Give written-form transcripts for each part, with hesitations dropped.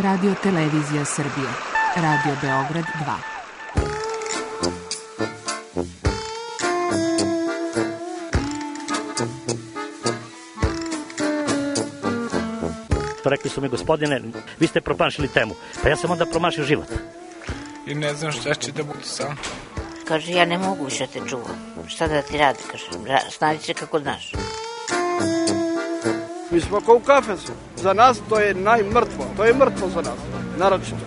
Radio Televizija Srbije. Radio Beograd 2. Rekli su mi, gospodine, vi ste promašili temu. Pa ja sam onda promašio život. I ne znam šta će da bude sam. Kaže, ja ne mogu više te čuvam. Šta da ti radi, kaže, snađi se kako znaš. Mi smo kao u kafesu. Za nas to je najmrtvo. To je mrtvo za nas, naročito.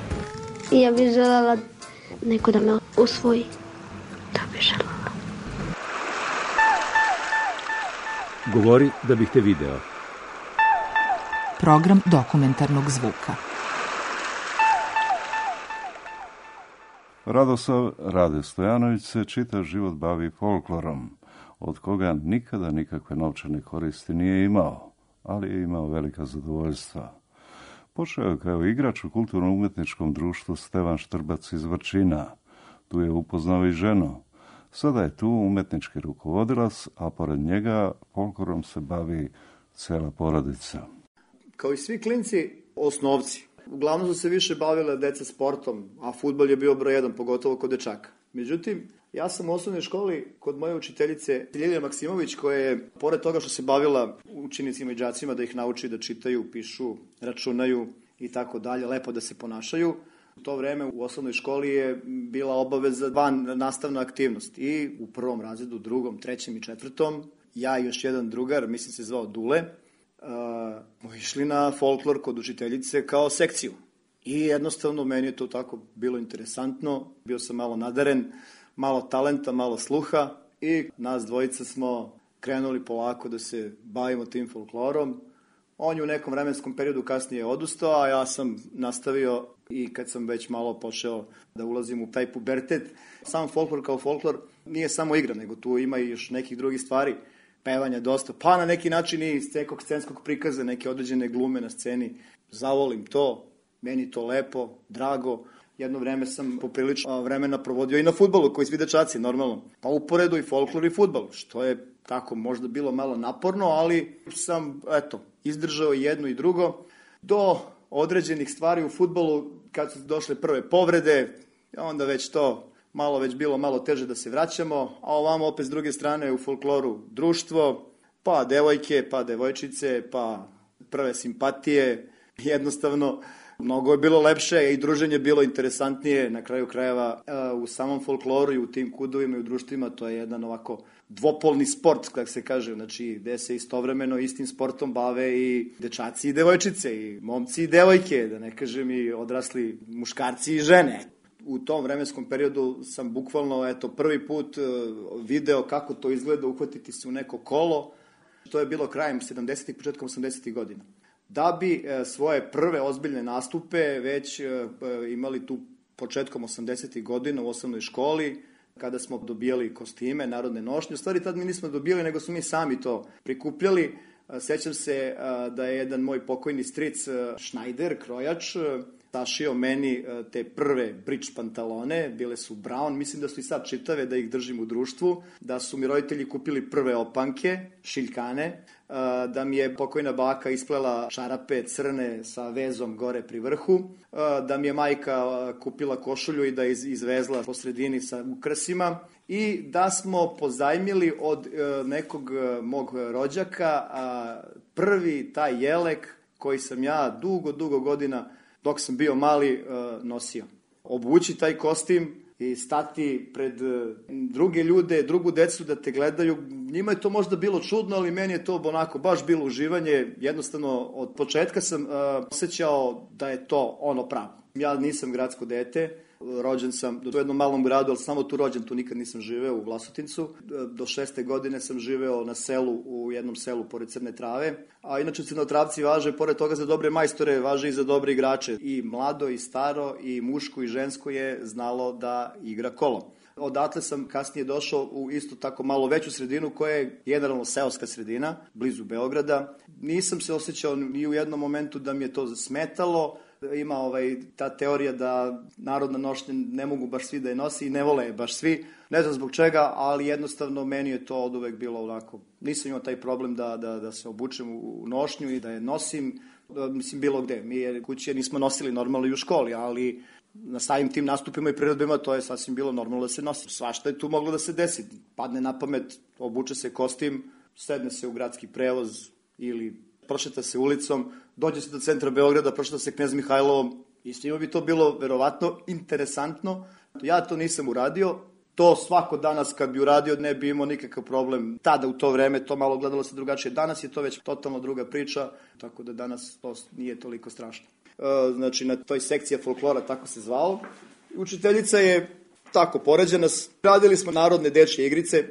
I ja bih želela neko da me usvoji. To bih želela. Govori da bih te video. Program dokumentarnog zvuka. Radoslav Rade Stojanović se čitav život bavi folklorom, od koga nikada nikakve novčane koristi nije imao, ali je imao velika zadovoljstva. Počeo je kao igrač u kulturno-umetničkom društvu Stevan Štrbac iz Vrčina. Tu je upoznao i ženu. Sada je tu umetnički rukovodilac, a pored njega folklorom se bavi cela porodica. Kao i svi klinci, osnovci. Uglavnom su se više bavile deca sportom, a fudbal je bio broj 1, pogotovo kod dečaka. Međutim, ja sam u osnovnoj školi kod moje učiteljice Ljiljana Maksimović, koja je, pored toga što se bavila učenicima i đacima da ih nauči da čitaju, pišu, računaju i tako dalje, lepo da se ponašaju, u to vreme u osnovnoj školi je bila obaveza van nastavna aktivnost. I u prvom razredu, drugom, trećem i četvrtom, ja i još jedan drugar, mislim se zvao Dule, išli na folklor kod učiteljice kao sekciju. I jednostavno meni je to tako bilo interesantno, bio sam malo nadaren, malo talenta, malo sluha i nas dvojica smo krenuli polako da se bavimo tim folklorom. On je u nekom vremenskom periodu kasnije odustao, a ja sam nastavio i kad sam već malo počeo da ulazim u taj pubertet. Sam folklor kao folklor nije samo igra, nego tu ima i još nekih drugih stvari, pevanja dosta, pa na neki način i nekog scenskog prikaza, neke određene glume na sceni. Zavolim to, meni to lepo, drago. Jedno vreme sam poprilično vremena provodio i na fudbalu, koji svi dečaci, normalno. Pa uporedu i folklor i fudbal, što je tako možda bilo malo naporno, ali sam, izdržao jedno i drugo. Do određenih stvari u fudbalu, kad su došle prve povrede, onda već to bilo malo teže da se vraćamo, a ovamo opet s druge strane u folkloru društvo, pa devojke, pa devojčice, pa prve simpatije. Jednostavno, mnogo je bilo lepše i druženje bilo interesantnije. Na kraju krajeva u samom folkloru i u tim kudovima i u društvima to je jedan ovako dvopolni sport, kako se kaže, znači gde se istovremeno istim sportom bave i dečaci i devojčice, i momci i devojke, da ne kažem i odrasli muškarci i žene. U tom vremenskom periodu sam bukvalno prvi put video kako to izgleda uhvatiti se u neko kolo. To je bilo krajem 70-ih, početkom 80-ih godina. Da bi svoje prve ozbiljne nastupe već imali tu početkom 80-ih godina u osnovnoj školi, kada smo dobijali kostime, narodne nošnje. U stvari tad mi nismo dobijali, nego smo mi sami to prikupljali. Sećam se da je jedan moj pokojni stric Schneider, krojač, sašio meni te prve bridge pantalone, bile su brown, mislim da su i sad čitave, da ih držim u društvu, da su mi roditelji kupili prve opanke, šiljkane, da mi je pokojna baka isplela čarape crne sa vezom gore pri vrhu, da mi je majka kupila košulju i da je izvezla po sredini sa ukrasima i da smo pozajmili od nekog mog rođaka prvi taj jelek koji sam ja dugo godina dok sam bio mali nosio. Obući taj kostim i stati pred druge ljude, drugu decu da te gledaju. Njima je to možda bilo čudno, ali meni je to onako baš bilo uživanje. Jednostavno, od početka sam osjećao da je to ono pravo. Ja nisam gradsko dete, rođen sam u jednom malom gradu, ali samo tu rođen, tu nikad nisam živeo u Vlasotincu. Do 6. godine sam živeo na selu, u jednom selu pored Crne Trave. A inače Crnotravci važe, pored toga za dobre majstore, važe i za dobre igrače. I mlado, i staro, i muško, i žensko je znalo da igra kolo. Odatle sam kasnije došao u isto tako malo veću sredinu koja je generalno seoska sredina, blizu Beograda. Nisam se osjećao ni u jednom momentu da mi je to smetalo. ima ta teorija da narodna nošnja ne mogu baš svi da je nosi i ne vole je baš svi. Ne znam zbog čega, ali jednostavno meni je to od uvek bilo onako. Nisam imao taj problem da se obučem u nošnju i da je nosim, mislim bilo gde. Mi kući nismo nosili normalno i u školi, ali na samim tim nastupima i priredbima to je sasvim bilo normalno da se nosi. Svašta je tu moglo da se desi. Padne na pamet, obuče se kostim, sedne se u gradski prevoz ili prošeta se ulicom, dođe se do centra Beograda, prošeta se Knez Mihajlovom i svima bi to bilo verovatno interesantno. Ja to nisam uradio. To svako danas kad bi uradio ne bi imao nikakav problem. Tada u to vreme to malo gledalo se drugačije. Danas je to već totalno druga priča, tako da danas to nije toliko strašno. Znači na toj sekciji folklora, tako se zvalo. Učiteljica je tako poređena. Radili smo narodne dečje igrice.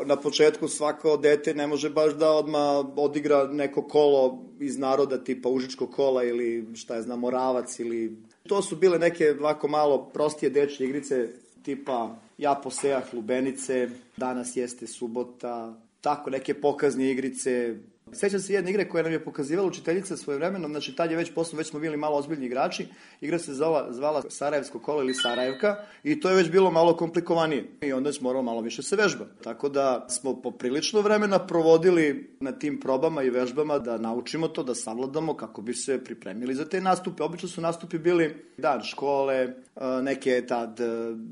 Na početku svako dete ne može baš da odmah odigra neko kolo iz naroda tipa Užičko kola ili šta je znam, Moravac ili... To su bile neke ovako malo prostije dečje igrice tipa Ja posejah lubenice, Danas jeste subota, tako neke pokazne igrice. Sećam se jedne igre koja nam je pokazivala učiteljica svojevremenom, znači tad je već smo bili malo ozbiljni igrači, igra se zvala Sarajevsko kolo ili Sarajevka i to je već bilo malo komplikovanije i onda smo morali malo više se vežba. Tako da smo poprilično vremena provodili na tim probama i vežbama da naučimo to, da savladamo kako bi se pripremili za te nastupe. Obično su nastupi bili dan škole, neke tad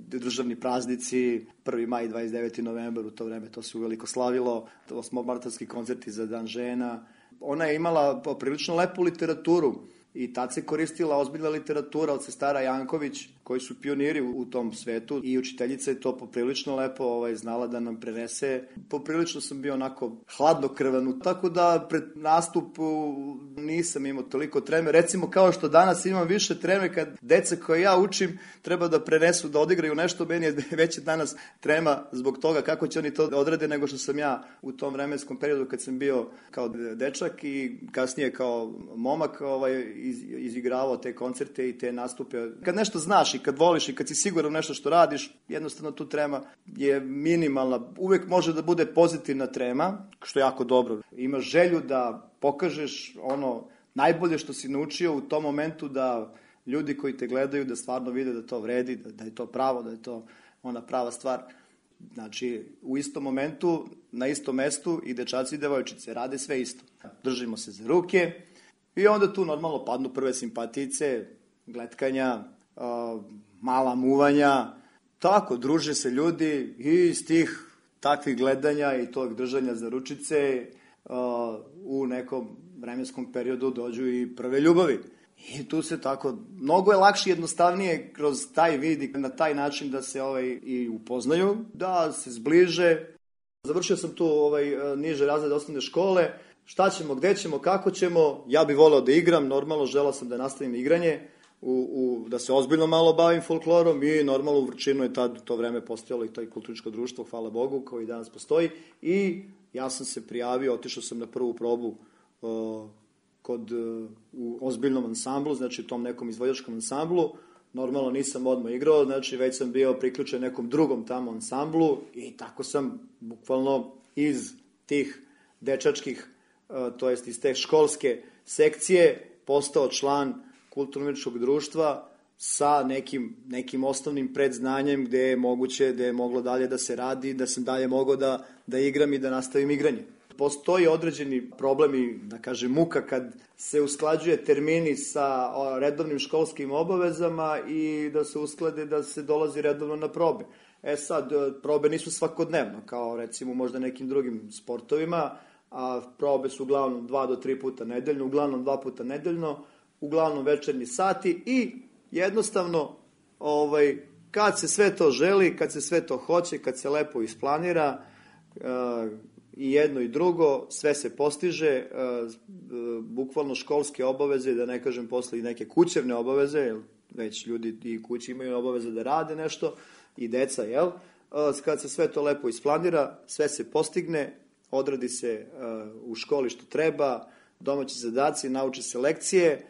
državni praznici, 1. maj, 29. novembar, u to vreme to se uveliko slavilo, 8. koncerti za dan žena. Ona je imala prilično lepu literaturu i tad se koristila ozbiljna literatura od sestara Janković, koji su pioniri u tom svetu i učiteljica je to poprilično lepo znala da nam prenese. Poprilično sam bio onako hladnokrvan, tako da pred nastup nisam imao toliko treme. Recimo kao što danas imam više treme kad deca koje ja učim treba da prenesu, da odigraju nešto, meni je već danas trema zbog toga kako će oni to odrade nego što sam ja u tom vremenskom periodu kad sam bio kao dečak i kasnije kao momak izigravao te koncerte i te nastupe. Kad nešto znaš i kad voliš i kad si siguran nešto što radiš, jednostavno tu trema je minimalna. Uvek može da bude pozitivna trema, što je jako dobro. Imaš želju da pokažeš ono najbolje što si naučio u tom momentu, da ljudi koji te gledaju da stvarno vide da to vredi, da je to pravo, da je to ona prava stvar. Znači, u istom momentu, na istom mestu i dečaci i devojčice rade sve isto. Držimo se za ruke i onda tu normalno padnu prve simpatijice, gletkanja, mala muvanja, tako, druže se ljudi i iz tih takvih gledanja i tog držanja za ručice u nekom vremenskom periodu dođu i prve ljubavi. I tu se tako, mnogo je lakše i jednostavnije kroz taj vid i na taj način da se i upoznaju, da se zbliže. Završio sam tu niže razrede osnovne škole, šta ćemo, gde ćemo, kako ćemo, ja bih voleo da igram, normalno želeo sam da nastavim igranje, da se ozbiljno malo bavim folklorom i normalno u Vrčinu je tad to vreme postojalo i to kulturničko društvo, hvala Bogu, kao i danas postoji i ja sam se prijavio, otišao sam na prvu probu u ozbiljnom ansamblu, znači u tom nekom izvođačkom ansamblu, normalno nisam odmah igrao, znači već sam bio priključen nekom drugom tamo ansamblu i tako sam bukvalno iz tih dečačkih, to jest iz te školske sekcije postao član kulturno-umetničkog društva sa nekim osnovnim predznanjem gde je moguće, gde je moglo dalje da se radi, da sam dalje mogao da igram i da nastavim igranje. Postoji određeni problem i, da kažem, muka kad se usklađuje termini sa redovnim školskim obavezama i da se usklade da se dolazi redovno na probe. Sad, probe nisu svakodnevno, kao recimo možda nekim drugim sportovima, a probe su uglavnom 2 do 3 puta nedeljno, uglavnom 2 puta nedeljno, uglavnom večernji sati i jednostavno kad se sve to želi, kad se sve to hoće, kad se lepo isplanira i jedno i drugo, sve se postiže, bukvalno školske obaveze, da ne kažem posle i neke kućevne obaveze, jer već ljudi i kući imaju obaveze da rade nešto i deca, jel? Kad se sve to lepo isplanira, sve se postigne, odradi se u školi što treba, domaći zadaci, nauči se lekcije,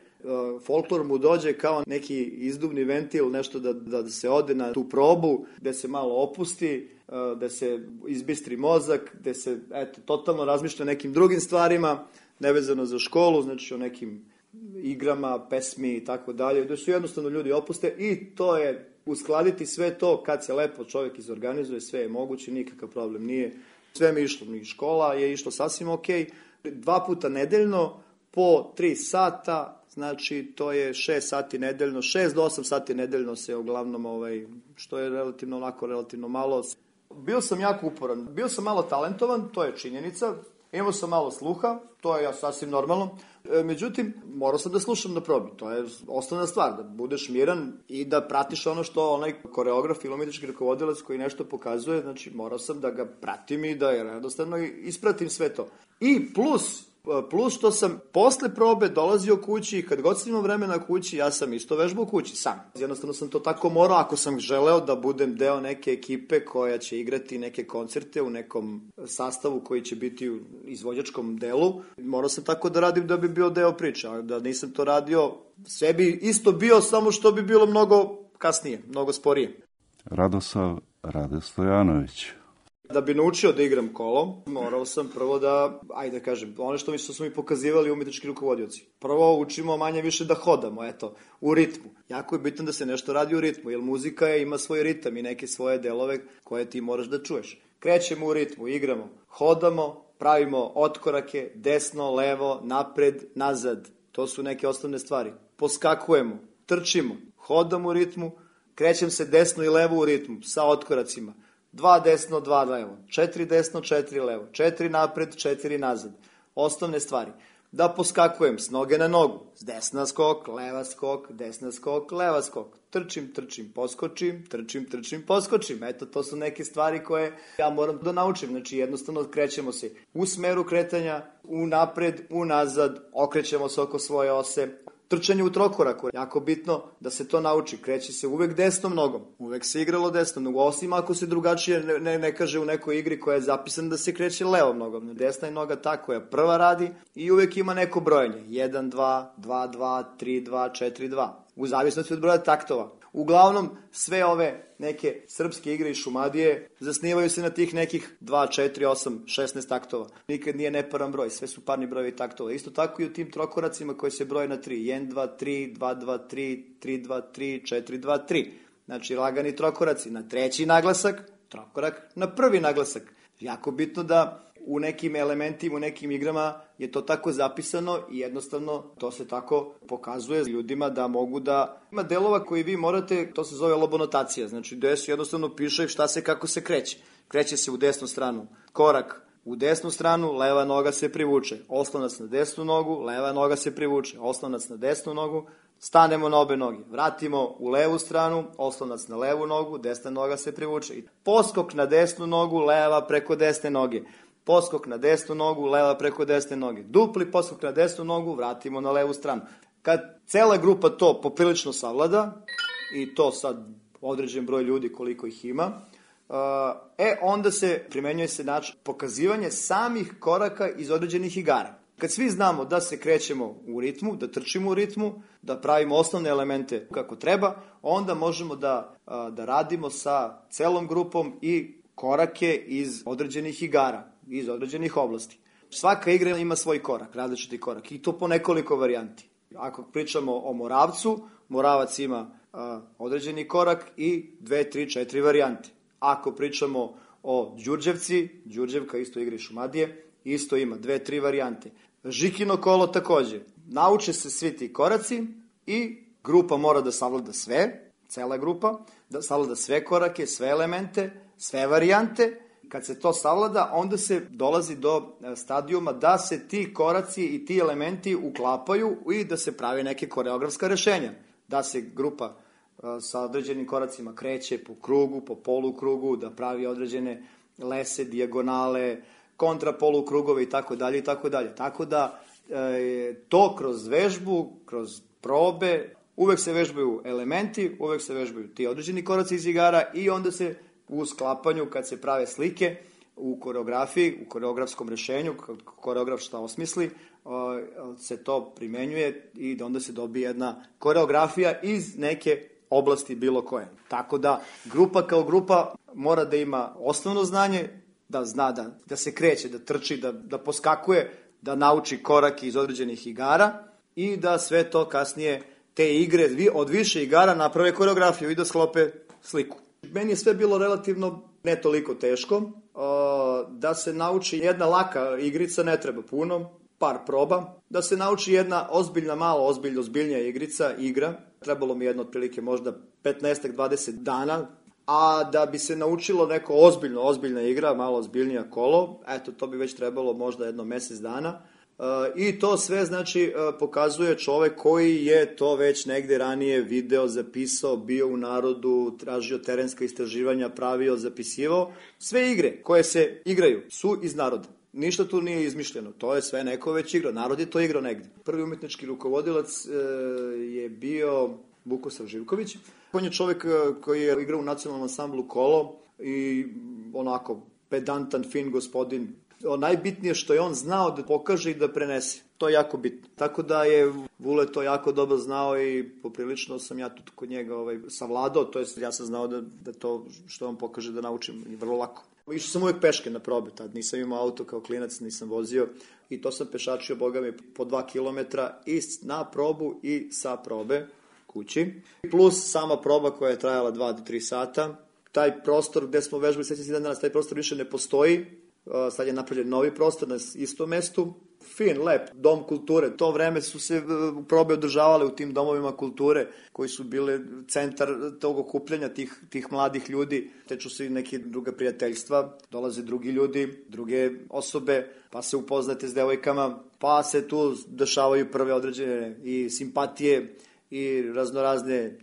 folklor mu dođe kao neki izduvni ventil, nešto da se ode na tu probu, da se malo opusti, da se izbistri mozak, da se totalno razmišlja o nekim drugim stvarima, nevezano za školu, znači o nekim igrama, pesmi i tako dalje, da su jednostavno ljudi opuste i to je uskladiti sve to kad se lepo čovjek izorganizuje, sve je moguće, nikakav problem nije. Sve mi je išlo, škola je išlo sasvim ok. 2 puta nedeljno po 3 sata, znači to je 6 sati nedeljno, 6 do 8 sati nedeljno se uglavnom, što je relativno malo. Bio sam jako uporan, bio sam malo talentovan, to je činjenica, imao sam malo sluha, to je sasvim normalno. Međutim, morao sam da slušam na probi, to je osnovna stvar, da budeš miran i da pratiš ono što onaj koreograf ili umjetnički rukovodilac koji nešto pokazuje, znači morao sam da ga pratim i da jednostavno ispratim sve to. I plus što sam posle probe dolazio kući i kad god sam imao vremena kući, ja sam isto vežbao kući sam. Jednostavno sam to tako morao, ako sam želeo da budem deo neke ekipe koja će igrati neke koncerte u nekom sastavu koji će biti u izvođačkom delu, morao sam tako da radim da bi bio deo priče, a da nisam to radio, sve bi isto bio, samo što bi bilo mnogo kasnije, mnogo sporije. Radosav Rade Stojanović. Da bi naučio da igram kolo, morao sam prvo da, ajde da kažem, ono što su mi pokazivali umjetnički rukovodioci. Prvo učimo manje više da hodamo, u ritmu. Jako je bitno da se nešto radi u ritmu, jer muzika ima svoj ritam i neke svoje delove koje ti moraš da čuješ. Krećemo u ritmu, igramo, hodamo, pravimo otkorake, desno, levo, napred, nazad. To su neke osnovne stvari. Poskakujemo, trčimo, hodamo u ritmu, krećem se desno i levo u ritmu, sa otkoracima. 2 desno, 2 levo, 4 desno, 4 levo, 4 napred, 4 nazad. Osnovne stvari. Da poskakujem s noge na nogu, s desna skok, leva skok, desna skok, leva skok. Trčim, poskočim, trčim, poskočim. Eto, to su neke stvari koje ja moram da naučim. Znači, jednostavno krećemo se u smeru kretanja, u napred, u nazad, okrećemo se oko svoje ose. Trčanje u trokoraku, jako bitno da se to nauči, kreće se uvek desnom nogom, uvek se igralo desnom nogom, osim ako se drugačije ne kaže u nekoj igri koja je zapisana da se kreće levom nogom. Desna je noga ta koja prva radi i uvek ima neko brojenje, 1, 2, 2, 2, 3, 2, 4, 2, u zavisnosti od broja taktova. Uglavnom, sve ove neke srpske igre i Šumadije zasnivaju se na tih nekih 2, 4, 8, 16 taktova. Nikad nije neparan broj, sve su parni brojevi taktova. Isto tako i u tim trokoracima koji se broje na 3. 1, 2, 3, 2, 2, 3, 3, 2, 3, 4, 2, 3. Znači, lagani trokoraci na treći naglasak, trokorak na prvi naglasak. Jako bitno da u nekim elementima, u nekim igrama je to tako zapisano i jednostavno to se tako pokazuje ljudima da mogu da... Ima delova koji vi morate, to se zove lobonotacija, znači gde se jednostavno piše šta se, kako se kreće. Kreće se u desnu stranu, korak u desnu stranu, leva noga se privuče, oslonac na desnu nogu, leva noga se privuče, oslonac na desnu nogu, stanemo na obe noge, vratimo u levu stranu, oslonac na levu nogu, desna noga se privuče. Poskok na desnu nogu, leva preko desne noge. Poskok na desnu nogu, leva preko desne noge. Dupli poskok na desnu nogu, vratimo na levu stranu. Kad cela grupa to poprilično savlada, i to sad određen broj ljudi koliko ih ima, onda se primenjuje se način pokazivanje samih koraka iz određenih igara. Kad svi znamo da se krećemo u ritmu, da trčimo u ritmu, da pravimo osnovne elemente kako treba, onda možemo da radimo sa celom grupom i korake iz određenih igara, iz određenih oblasti. Svaka igra ima svoj korak, različiti korak, i to po nekoliko varijanti. Ako pričamo o Moravcu, Moravac ima određeni korak i 2, 3, 4 varijante. Ako pričamo o Đurđevci, Đurđevka isto igra i Šumadije, isto ima 2, 3 varijante. Žikino kolo takođe. Nauče se svi ti koraci i grupa mora da savlada sve, cela grupa, da savlada sve korake, sve elemente, sve varijante. Kad se to savlada, onda se dolazi do stadijuma da se ti koraci i ti elementi uklapaju i da se pravi neke koreografska rešenja. Da se grupa sa određenim koracima kreće po krugu, po polukrugu, da pravi određene lese, dijagonale, kontrapolukrugove i tako dalje i tako dalje. Tako da to kroz vežbu, kroz probe, uvek se vežbaju elementi, uvek se vežbaju ti određeni koraci iz igara i onda se u sklapanju, kad se prave slike u koreografiji, u koreografskom rešenju, koreograf šta osmisli, se to primenjuje i da onda se dobije jedna koreografija iz neke oblasti bilo koje. Tako da grupa kao grupa mora da ima osnovno znanje, da zna da se kreće, da trči, da poskakuje, da nauči korake iz određenih igara i da sve to kasnije, te igre, od više igara naprave koreografiju i da sklope sliku. Meni je sve bilo relativno ne toliko teško, da se nauči jedna laka igrica, ne treba puno, par proba, da se nauči jedna ozbiljna, malo ozbiljnija igra, trebalo mi jedno otprilike možda 15-20 dana, a da bi se naučilo neko ozbiljna igra, malo ozbiljnija kolo, eto, to bi već trebalo možda jedno mesec dana. I to sve, znači, pokazuje čovek koji je to već negde ranije video, zapisao, bio u narodu, tražio terenska istraživanja, pravio, zapisivao. Sve igre koje se igraju su iz naroda. Ništa tu nije izmišljeno, to je sve neko već igrao, narod je to igrao negde. Prvi umetnički rukovodilac je bio Vukosav Živković. On je čovek koji je igrao u nacionalnom ansamblu Kolo i onako pedantan, fin gospodin. Najbitnije što je on znao da pokaže i da prenese. To je jako bitno. Tako da je Vule to jako dobro znao i poprilično sam ja tu kod njega savladao, to jest ja sam znao da to što on pokaže da naučim i vrlo lako. Išao sam uvijek peške na probe, tad nisam imao auto kao klinac, nisam vozio i to sam pešačio, boga mi, po 2 kilometra i na probu i sa probe kući. Plus sama proba koja je trajala 2 do 3 sata. Taj prostor gde smo vežbali, sećam se dan danas, taj prostor više ne postoji. Sad je napravljen novi prostor na istom mestu. Fin, lep, dom kulture. To vreme su se probe održavale u tim domovima kulture koji su bile centar tog okupljanja tih mladih ljudi. Teču se i neke druga prijateljstva, dolaze drugi ljudi, druge osobe, pa se upoznate s devojkama, pa se tu dešavaju prve određene i simpatije i raznorazne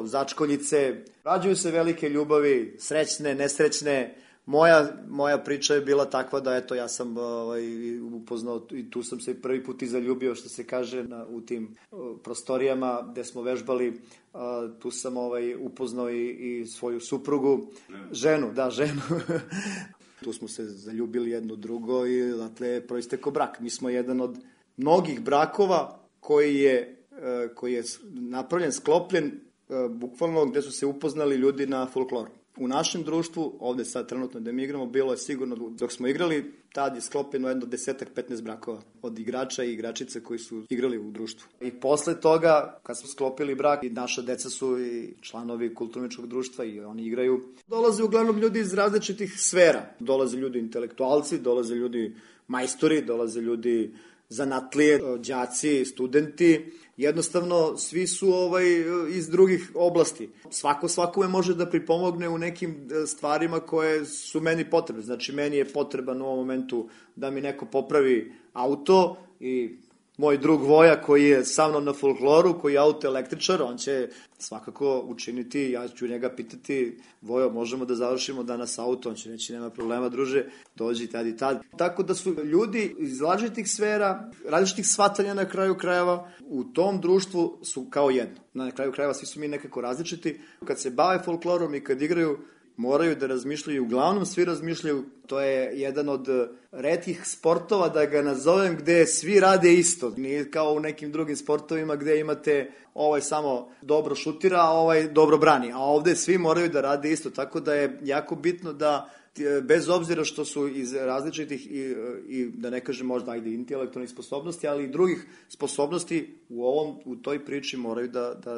začkoljice. Rađuju se velike ljubavi, srećne, nesrećne. Moja priča je bila takva da, eto, ja sam upoznao i tu sam se prvi put i zaljubio, što se kaže, u tim prostorijama gde smo vežbali. Tu sam upoznao i svoju suprugu, ženu. Tu smo se zaljubili jedno drugo i odatle proistekao brak. Mi smo jedan od mnogih brakova koji je napravljen, sklopljen, bukvalno gde su se upoznali ljudi na folkloru. U našem društvu, ovde sad trenutno gde mi igramo, bilo je sigurno, dok smo igrali, tad je sklopljeno jedno 10-15 brakova od igrača i igračice koji su igrali u društvu. I posle toga, kad smo sklopili brak, i naša deca su i članovi kulturničkog društva i oni igraju. Dolaze uglavnom ljudi iz različitih sfera. Dolaze ljudi intelektualci, dolaze ljudi majstori, dolaze ljudi zanatlije, đaci, studenti. Jednostavno, svi su iz drugih oblasti. Svako svakome može da pripomogne u nekim stvarima koje su meni potrebne. Znači, meni je potreban u ovom momentu da mi neko popravi auto i moj drug Voja koji je sa mnom na folkloru, koji je autoelektričar, on će svakako učiniti, ja ću njega pitati, Vojo, možemo da završimo danas auto, on će reći, nema problema, druže, dođi tad i tad. Tako da su ljudi iz različitih sfera, različitih shvatanja na kraju krajeva, u tom društvu su kao jedno. Na kraju krajeva svi su mi nekako različiti. Kad se bave folklorom i kad igraju, moraju da razmišljaju, uglavnom svi razmišljaju, to je jedan od retkih sportova, da ga nazovem, gde svi rade isto. Nije kao u nekim drugim sportovima gde imate samo dobro šutira, a dobro brani, a ovde svi moraju da rade isto, tako da je jako bitno da, bez obzira što su iz različitih i da ne kažem možda intelektualnih sposobnosti, ali i drugih sposobnosti u toj priči moraju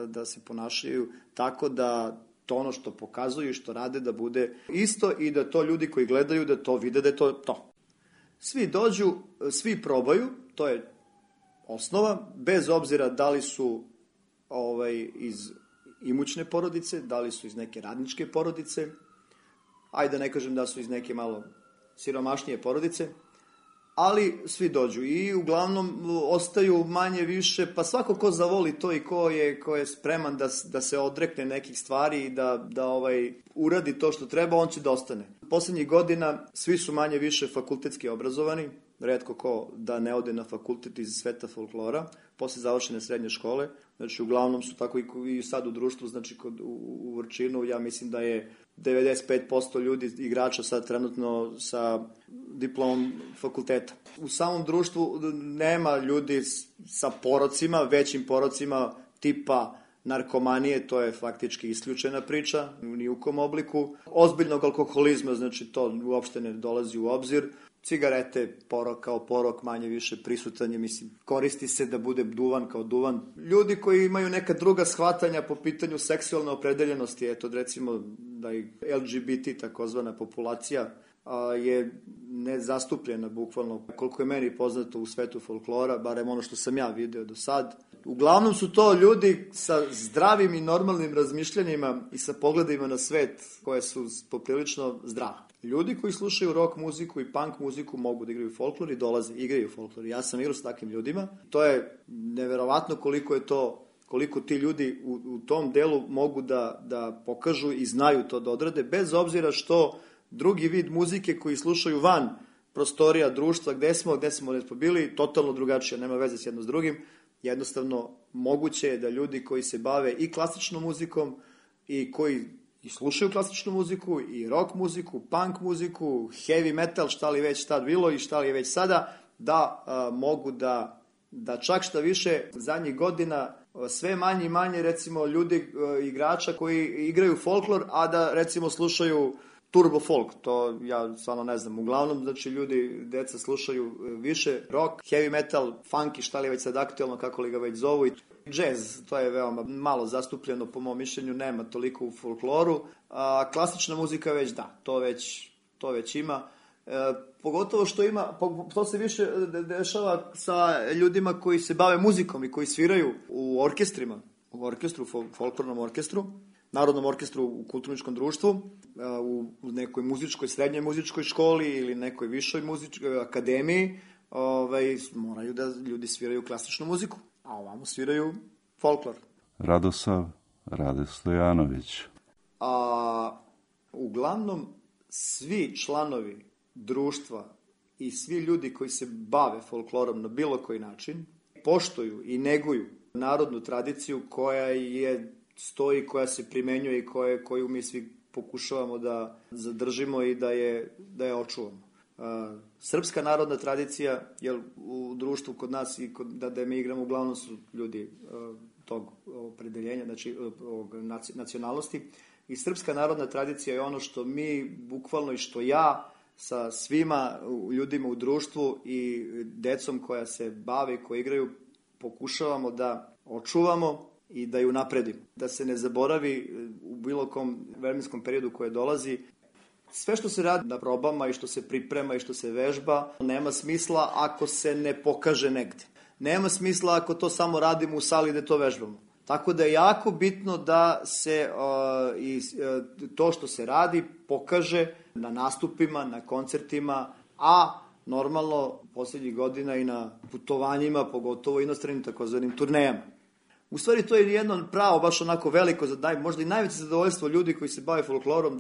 da se ponašaju tako da to ono što pokazuju i što rade da bude isto i da to ljudi koji gledaju da to vide da je to. Svi dođu, svi probaju, to je osnova, bez obzira da li su iz imućne porodice, da li su iz neke radničke porodice, ajde da ne kažem da su iz neke malo siromašnije porodice, ali svi dođu i uglavnom ostaju manje više, pa svako ko zavoli to i ko je spreman da se odrekne nekih stvari i da uradi to što treba, on će da ostane. Poslednjih godina svi su manje više fakultetski obrazovani, retko ko da ne ode na fakultet iz sveta folklora, posle završene srednje škole, znači uglavnom su tako i sad u društvu, znači u Vrčinu, ja mislim da je 95% ljudi, igrača sad trenutno sa diplomom fakulteta. U samom društvu nema ljudi sa porocima, većim porocima tipa narkomanije, to je faktički isključena priča, ni u kom obliku. Ozbiljnog alkoholizma, znači to uopšte ne dolazi u obzir. cigarete, kao porok manje više prisutan je, mislim, koristi se da bude duvan kao duvan. Ljudi koji imaju neka druga shvatanja po pitanju seksualne opredeljenosti, eto recimo da i LGBT takozvana populacija je nezastupljena bukvalno, koliko je meni poznato u svetu folklora, barem ono što sam ja video do sad. Uglavnom su to ljudi sa zdravim i normalnim razmišljanjima i sa pogledima na svet koje su poprilično zdrave. Ljudi koji slušaju rock muziku i punk muziku mogu da igraju folklor i dolaze, igraju folklor. Ja sam igrao sa takvim ljudima. To je neverovatno koliko ti ljudi u tom delu mogu da pokažu i znaju to da odrade, bez obzira što drugi vid muzike koji slušaju van prostorija društva gde smo bili, totalno drugačije, nema veze s jedno s drugim. Jednostavno, moguće je da ljudi koji se bave i klasičnom muzikom i koji i slušaju klasičnu muziku i rock muziku, punk muziku, heavy metal, šta li već tad bilo i šta li je već sada, da mogu da čak šta više zadnjih godina sve manje i manje recimo ljudi, igrača koji igraju folklor, a da recimo slušaju turbo folk, to ja stvarno ne znam. Uglavnom, znači ljudi, deca slušaju više rock, heavy metal, funk i šta li je već sad aktualno, kako li ga već zovu, i jazz, to je veoma malo zastupljeno po mom mišljenju, nema toliko u folkloru, a klasična muzika već da, to već ima. Pogotovo što ima, to se više dešava sa ljudima koji se bave muzikom i koji sviraju u orkestrima, u orkestru, folklornom orkestru, narodnom orkestru u kulturničkom društvu, u nekoj srednjoj muzičkoj školi ili nekoj višoj muzičkoj akademiji, moraju da ljudi sviraju klasičnu muziku, a ovamo sviraju folklor. Radosav Rade Stojanović. Uglavnom, svi članovi društva i svi ljudi koji se bave folklorom na bilo koji način poštuju i neguju narodnu tradiciju koja stoji, koja se primenjuje i koju mi svi pokušavamo da zadržimo i da je očuvamo. Srpska narodna tradicija, jer u društvu kod nas i da mi igramo, uglavnom su ljudi tog opredeljenja, znači nacionalnosti, i srpska narodna tradicija je ono što mi bukvalno i što ja sa svima ljudima u društvu i decom koja se bave, koji igraju, pokušavamo da očuvamo i da ju napredimo. Da se ne zaboravi u bilo kom vremenskom periodu koje dolazi. Sve što se radi na probama i što se priprema i što se vežba, nema smisla ako se ne pokaže negde. Nema smisla ako to samo radimo u sali gde to vežbamo. Tako da je jako bitno da se to što se radi pokaže na nastupima, na koncertima, a normalno posljednjih godina i na putovanjima, pogotovo inostranim takozvanim turnejama. U stvari to je jedno pravo, baš onako veliko, možda i najveće zadovoljstvo ljudi koji se bave folklorom,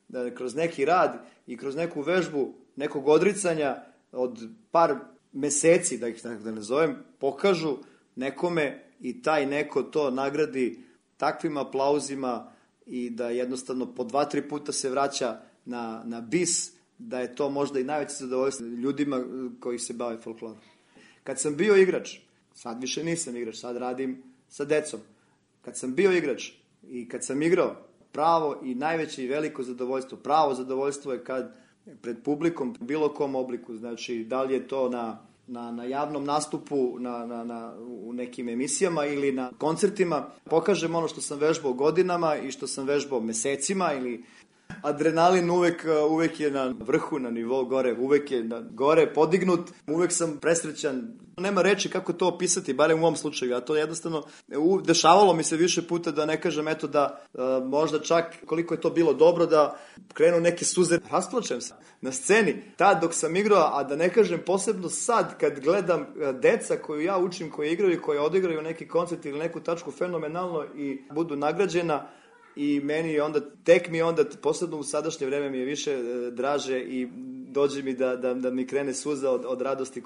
da kroz neki rad i kroz neku vežbu, nekog odricanja od par meseci, da ih da ne zovem, pokažu nekome i taj neko to nagradi takvim aplauzima i da jednostavno po 2-3 puta se vraća na bis, da je to možda i najveće zadovoljstvo ljudima koji se bave folklorom. Kad sam bio igrač, sad više nisam igrač, sad radim sa decom. Kad sam bio igrač i kad sam igrao, pravo i najveće i veliko zadovoljstvo, pravo zadovoljstvo je kad pred publikom u bilo kom obliku, znači da li je to na javnom nastupu, u nekim emisijama ili na koncertima, pokažem ono što sam vežbao godinama i što sam vežbao mesecima, ili adrenalin uvek je na vrhu, na nivou gore, uvek je gore podignut, uvek sam presrećan. Nema reči kako to opisati, barem u ovom slučaju, a to jednostavno dešavalo mi se više puta, da ne kažem eto da možda čak koliko je to bilo dobro da krenu neke suze, rasplačem se na sceni, tad dok sam igrao, a da ne kažem posebno sad kad gledam deca koju ja učim, koji igraju i koji odigraju neki koncert ili neku tačku fenomenalno i budu nagrađena. I meni onda, tek mi onda, posebno u sadašnje vreme mi je više draže i dođe mi da mi krene suza od radosti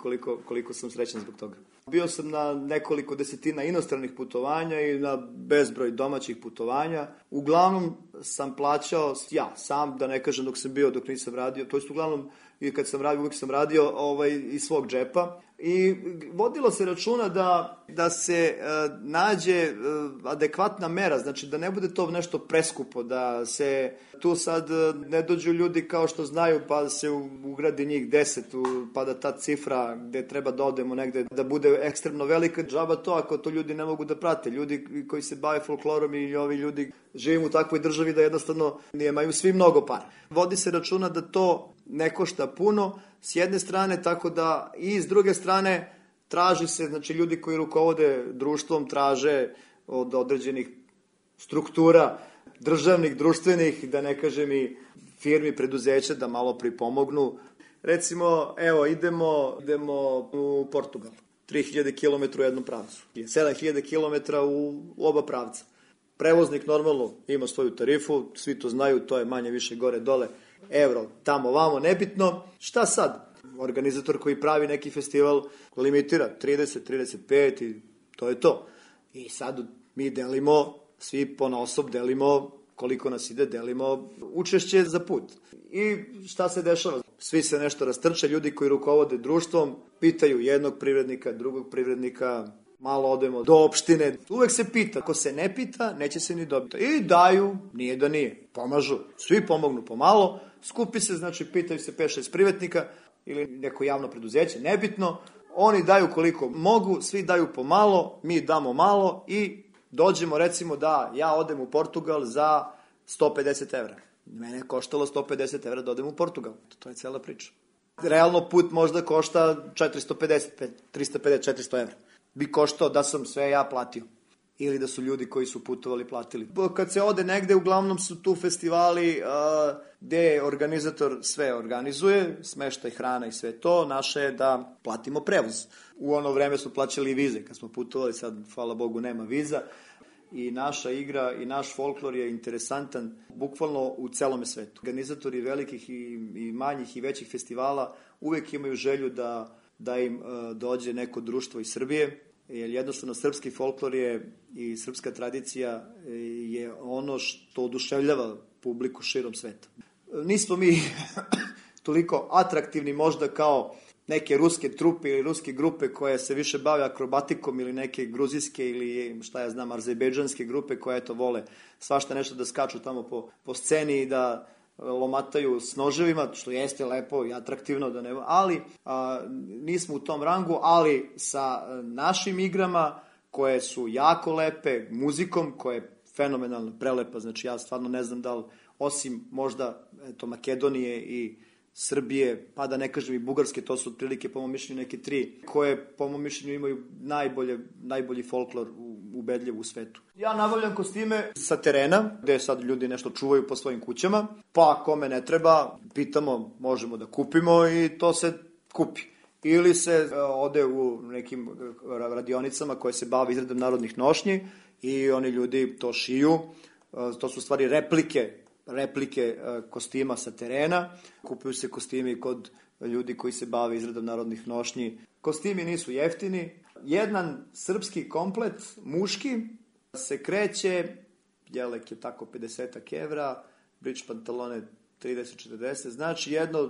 koliko sam srećan zbog toga. Bio sam na nekoliko desetina inostranih putovanja i na bezbroj domaćih putovanja. Uglavnom sam plaćao ja sam, da ne kažem dok nisam radio, to jest uglavnom i kad sam radio, uvijek sam radio iz svog džepa. I vodilo se računa da se nađe adekvatna mera, znači da ne bude to nešto preskupo, da se tu sad ne dođu ljudi kao što znaju pa se ugradi njih 10, pa da ta cifra gde treba da odemo negde, da bude ekstremno velika, džaba to ako to ljudi ne mogu da prate. Ljudi koji se bave folklorom i ovi ljudi živimo u takvoj državi da jednostavno nemaju svi mnogo para. Vodi se računa da to ne košta puno s jedne strane, tako da i s druge strane traži se, znači ljudi koji rukovode društvom traže od određenih struktura, državnih, društvenih, da ne kažem i firmi, preduzeća da malo pripomognu. Recimo, evo, idemo u Portugal. 3000 km u jednom pravcu. 7000 km u oba pravca. Prevoznik normalno ima svoju tarifu, svi to znaju, to je manje više gore dole, euro, tamo, vamo, nebitno. Šta sad? Organizator koji pravi neki festival limitira 30, 35 i to je to. I sad mi delimo, svi ponaosob delimo koliko nas ide, delimo učešće za put. I šta se dešava? Svi se nešto rastrče, ljudi koji rukovode društvom pitaju jednog privrednika, drugog privrednika, malo odemo do opštine. Uvek se pita, ako se ne pita, neće se ni dobiti. I daju, nije da nije, pomažu. Svi pomognu pomalo, skupi se, znači pitaju se 5-6 privatnika ili neko javno preduzeće, nebitno. Oni daju koliko mogu, svi daju pomalo, mi damo malo i dođemo recimo da ja odem u Portugal za 150 evra. Mene je koštalo 150 evra da odem u Portugal. To je cela priča. Realno put možda košta 450, 350, 400 evra. Bi koštao da sam sve ja platio. Ili da su ljudi koji su putovali platili. Kad se ode negde, uglavnom su tu festivali gde organizator sve organizuje, smeštaj, hrana i sve to. Naše je da platimo prevoz. U ono vreme su plaćali vize. Kad smo putovali, sad, hvala Bogu, nema viza. I naša igra i naš folklor je interesantan bukvalno u celome svetu. Organizatori velikih i manjih i većih festivala uvek imaju želju da im dođe neko društvo iz Srbije, jer jednostavno srpski folklor je i srpska tradicija je ono što oduševljava publiku širom sveta. Nismo mi toliko atraktivni možda kao neke ruske trupe ili ruske grupe koje se više bave akrobatikom ili neke gruzijske ili šta ja znam azerbejdžanske grupe koje eto vole svašta nešto da skaču tamo po sceni i da lomataju s noževima, što jeste lepo i atraktivno, da ne, ali nismo u tom rangu, ali sa našim igrama koje su jako lepe, muzikom koja je fenomenalno prelepa, znači ja stvarno ne znam da li, osim možda Makedonije i Srbije, pa da ne kažem i Bugarske, to su otprilike po mom mišljenju neke 3 koje po mom mišljenju imaju najbolji folklor ubedljiv u svetu. Ja nabavljam kostime sa terena, gde sad ljudi nešto čuvaju po svojim kućama, pa kome ne treba, pitamo, možemo da kupimo i to se kupi. Ili se ode u nekim radionicama koje se bave izradom narodnih nošnji i oni ljudi to šiju, to su stvari replike kostima sa terena, kupuju se kostimi kod ljudi koji se bave izradom narodnih nošnji. Kostimi nisu jeftini. Jedan srpski komplet, muški, se kreće, jelek je tako 50 evra, bridge pantalone 30-40, znači jedno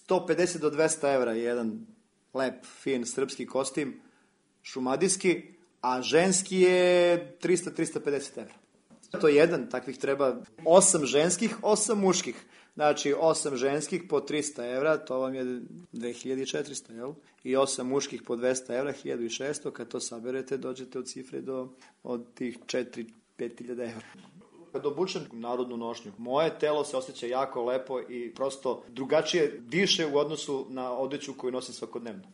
150 do 200 evra je jedan lep, fin srpski kostim, šumadijski, a ženski je 300-350 evra. To je jedan, takvih treba 8 ženskih, 8 muških. Znači 8 ženskih po 300 evra, to vam je 2400, jel? I 8 muških po 200 evra, 1600, kad to saberete, dođete od cifre od tih 4-5 hiljada evra. Kad obučem narodnu nošnju, moje telo se osjeća jako lepo i prosto drugačije diše u odnosu na odeću koju nosim svakodnevno.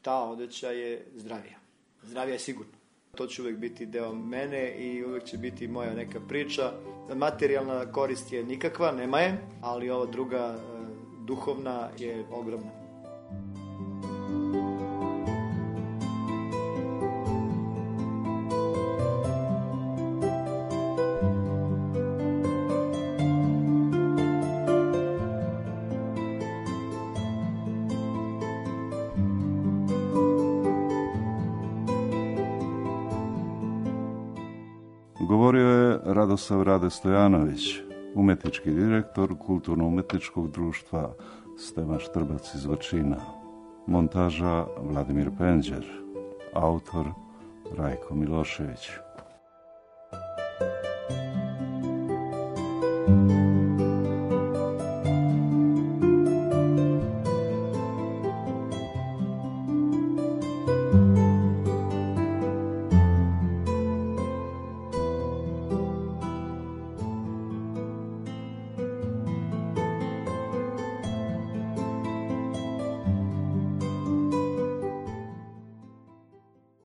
Ta odeća je zdravija. Zdravija je sigurno. To će uvek biti deo mene i uvek će biti moja neka priča. Materijalna korist je nikakva, nema je, ali ova druga, duhovna, je ogromna. Govorio je Radosav Rade Stojanović, umetnički direktor Kulturno-umetničkog društva Stevan Štrbac iz Vrčina. Montaža Vladimir Penđer, autor Rajko Milošević.